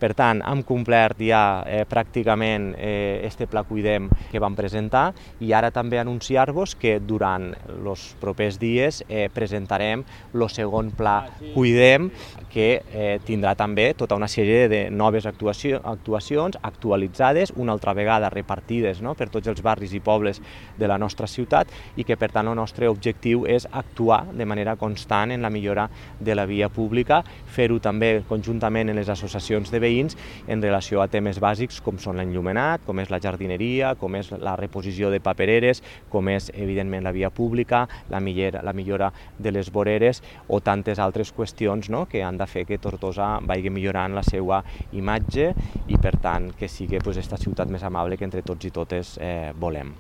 Per tant, hem complert ja pràcticament este Pla Cuidem que vam presentar i ara també anunciar-vos que durant els propers dies presentarem el segon Pla Cuidem, que tindrà també tota una sèrie de noves actuacions actualitzades, una altra vegada repartides per tots els barris i pobles de la nostra ciutat, i que per tant el nostre objectiu és actuar de manera constant en la millora de la via pública, fer-ho també conjuntament en les associacions de veïns en relació a temes bàsics com són l'enllumenat, com és la jardineria, com és la reposició de papereres, com és evidentment la via pública, la millora de les voreres o tantes altres qüestions que han de fer que Tortosa vagi millorant la seva imatge i per tant que sigui aquesta ciutat més amable que entre tots i totes volem.